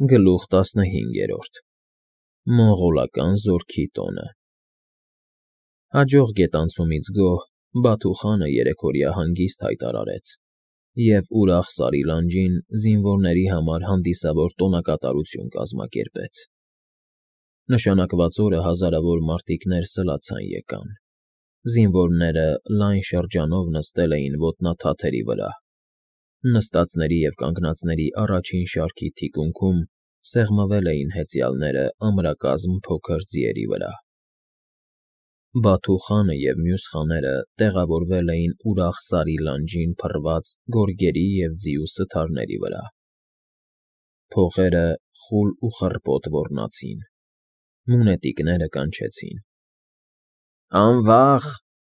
Գլուխ 15 Մոնղոլական զորքի տոնը Հաջող գետանցումից գոհ Բաթու խանը երեքօրյա հանգիստ հայտարարեց և ուրախ Սարի լանջին զինվորների համար հանդիսավոր տոնակատարություն կազմակերպեց։ Նշանակված օրը հազարավոր մարտիկներ սլացան եկան։ Զինվորները լայն շրջանով նստել էին ոտնաթաթերի վրա։ Նստածների և կանգնածների առաջին շարքի թիկունքում սեղմվել էին հեծյալները ամրակազմ փոքր ձիերի վրա։ Բաթու խանը և մյուս խաները տեղավորվել էին ուրախ Սարի լանջին փռված գորգերի և ձիու սթարների վրա։ Փողերը խուլ ու խռպոտ ոռնացին։ Մունետիկները կանչեցին. «Անվախ,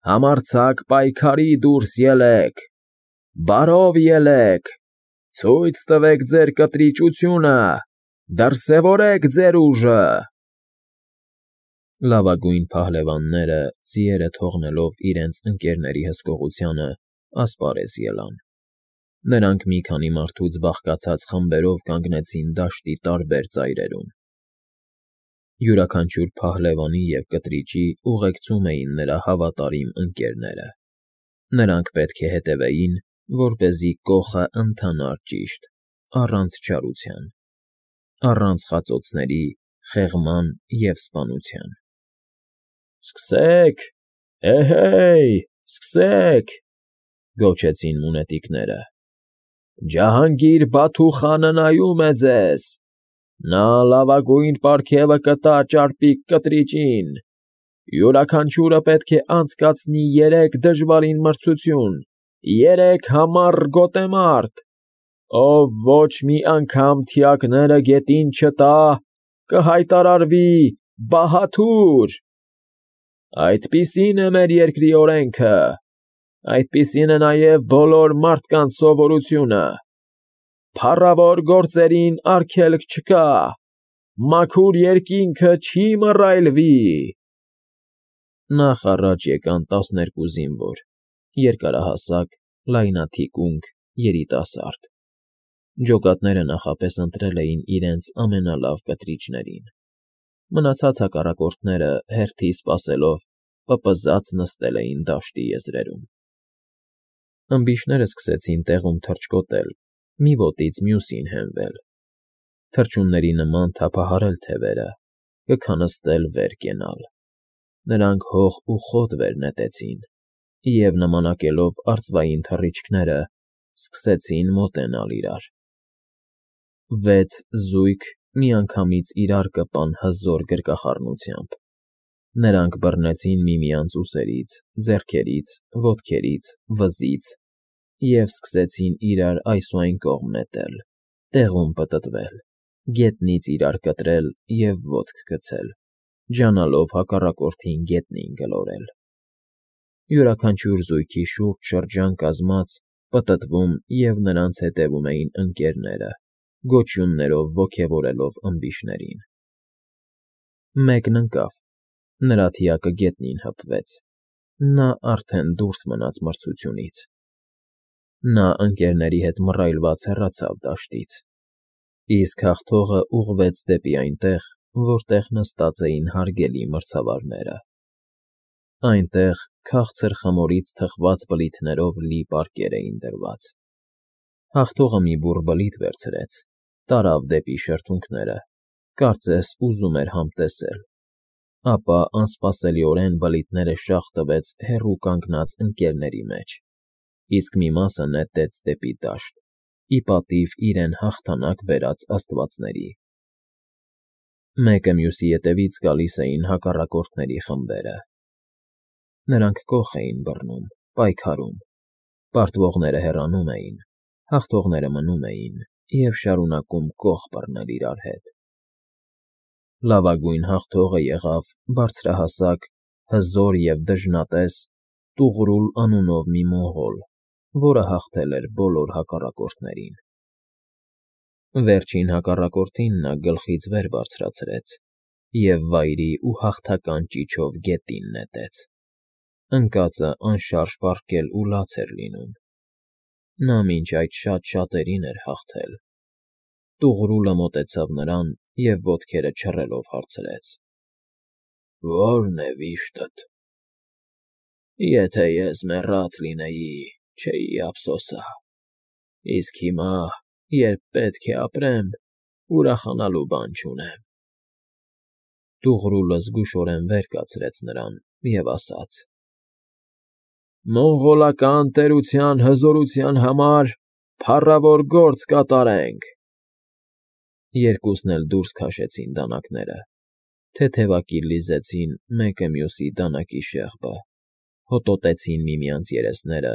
համարձակ պայքարի դուրս ելեք, բարով ելեք, ցույց տվեք ձեր կտրիճությունը, դրսևորեք ձեր ուժը»։ Լավագույն փահլևանները, ձիերը թողնելով իրենց ընկերների հսկողությանը, ասպարեզ ելան։ Նրանք մի քանի մարդուց բաղկացած խմբերով կանգնեցին դաշտի տարբեր ծայրերում։ Յուրաքանչյուր փահլևանի և կտրիճի ուղեկցում էին նրա հավատարիմ ընկերները։ Նրանք պետք է հետևեին, որպեսզի կոխը ընթանար ճիշտ, առանց չարության, առանց խածոցների, խեղման և սպանության։ «Սկսե՛ք, հեյ, սկսե՛ք»,֊ գոչեցին մունետիկները։ «Ջահանգիր Բաթու խանը նայում է ձեզ։ Նա լավագույն պարգևը կտա ճարպիկ կտրիճին։ Յուրաքանչյուրը պետք է անցկացնի 3 դժվարին մրցություն, 3 համառ գոտեմարտ։ Ով ոչ մի անգամ թիակները գետին չտա, կհայտարարվի բահաթուր։ Այդպիսին է մեր երկրի օրենքը, այդպիսին է նաև բոլոր մարդկանց սովորությունը։ Փառավոր գործերին արգելք չկա, մաքուր երկինքը չի մռայլվի»։ Նախ առաջ եկան 12 զինվոր, երկարահասակ, լայնաթիկունք, երիտասարդ։ Ջոկատները նախապես ընտրել էին իրենց ամենալավ կտրիճներին։ Մնացած հակառակորդները, հերթի սպասելով, պպզած նստել էին դաշտի եզրերում։ Ըմբիշները սկսեցին տեղում թռչկոտել, մի ոտից մյուսին հենվել, թռչունների նման թափահարել թևերը, կքնստել վեր կենալ։ Նրանք հող ու խոտ վեր նետեցին և, նմանակելով արծվային թռիչքները, սկսեցին մոտենալ իրար։ 6 զույգ միանգամից իրար կպան հզոր գրկախառնությամբ։ Նրանք բռնեցին միմյանց ուսերից, ձեռքերից, ոտքերից, վզից և սկսեցին իրար այս ու այն կողմ նետել, տեղում պտտվել, գետնից իրար կտրել և ոտք գցել, ջանալով հակառակորդին գետնին գլորել։ Յուրաքանչյուր զույգի շուրջ շրջան կազմած, պտտվում և նրանց հետևում էին ընկերները, գոչյուններով ոգևորելով ըմբիշներին։ Մեկն ընկավ, նրա թիակը գետնին հպվեց, նա արդեն դուրս մնաց մրցությունից։ Նա ընկերների հետ մռայլված հեռացավ դաշտից, իսկ հաղթողը ուղղվեց դեպի այնտեղ, որտեղ նստած էին հարգելի մրցավարները։ Այնտեղ քաղցր խմորից թխված բլիթներով լի պարկեր էին դրված։ Հաղթողը մի բուռ բլիթ վերցրեց, տարավ դեպի շրթունքները, կարծես ուզում էր համտեսել, ապա անսպասելիորեն բլիթները շաղ տվեց հեռու կանգնած ընկերների մեջ, իսկ մի մասը նետեց դեպի դաշտ, ի պատիվ իրեն հաղթանակ բերած աստվածների։ Մեկը մյուսի ետևից գալիս էին հակառակորդների խմբերը։ Նրանք կոխ էին բռնում, պայքարում, պարտվողները հեռանում էին, հաղթողները մնում էին և շարունակում կոխ բռնել իրար հետ։ Լավագույն հաղթողը եղավ բարձրահասակ, հզոր և դժնատես Տուղրուլ անունով մի մոնղոլ, որը հաղթել էր բոլոր հակառակորդներին։ Վերջին հակառակորդին նա գլխից վեր բարձրացրեց և վայրի ու հաղթական ճիչով գետին նետեց։ Ընկածը անշարժ պառկել ու լաց էր լինում։ Նա մինչ այդ շատ շատերին էր հաղթել։ Տուղրուլը մոտեցավ նրան և ոտքերը չռելով հարցրեց. Ո՞րն է վիշտդ։ Եթե ես մեռած լինեի, չէի ափսոսա, իսկ հիմա, երբ պետք է ապրեմ, ուրախանալու բան չունեմ։ Տուղրուլը զգուշորեն վեր կացրեց նրան և ասաց. Մոնղոլական տերության հզորության համար փառավոր գործ կատարենք։ Երկուսն էլ դուրս քաշեցին դանակները, թեթևակի լիզեցին մեկը մյուսի դանակի շեղբը, հոտոտեցին միմյանց երեսները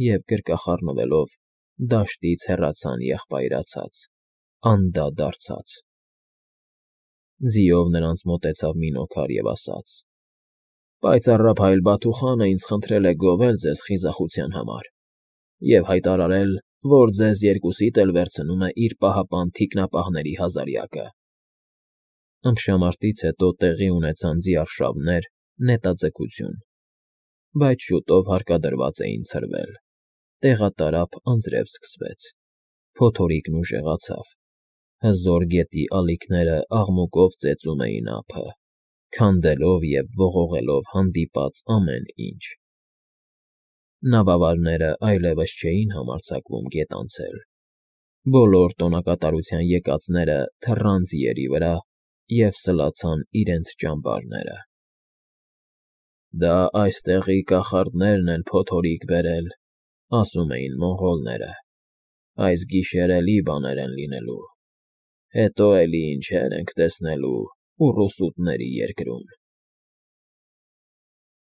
և, գրկախառնվելով, դաշտից հեռացան եղբայրացած, անդադարձած։ Ձիով նրանց մոտեցավ Մինոքար և ասաց. Պայծառափայլ Բաթուխանը ինձ խնդրել է գովել ձեզ խիզախության համար և հայտարարել, որ ձեզ երկուսիդ էլ վերցնում է իր պահապան թիկնապահների հազարյակը։ Ըմբշամարտից հետո տեղի ունեցան ձիարշավներ, նետաձգություն, բայց շուտով հարկադրված էին ցրվել, տեղատարափ անձրև սկսվեց, փոթորիկն ուժեղացավ, հզոր գետի ալիքները աղմուկով ծեծում էին ափը, քանդելով և ողողելով հանդիպած ամեն ինչ։ Նավավարները այլևս չէին համարձակվում գետ անցել, բոլոր տոնակատարության եկածները թռան ձիերի վրա և սլացան իրենց ճամբարները։ Դա այստեղի կախարդներն են փոթորիկ բերել, ասում էին մոնղոլները, այս գիշեր էլի բաներ են լինելու, հետո էլի ինչեր ենք տեսնելու ուռուսուտների երկրում։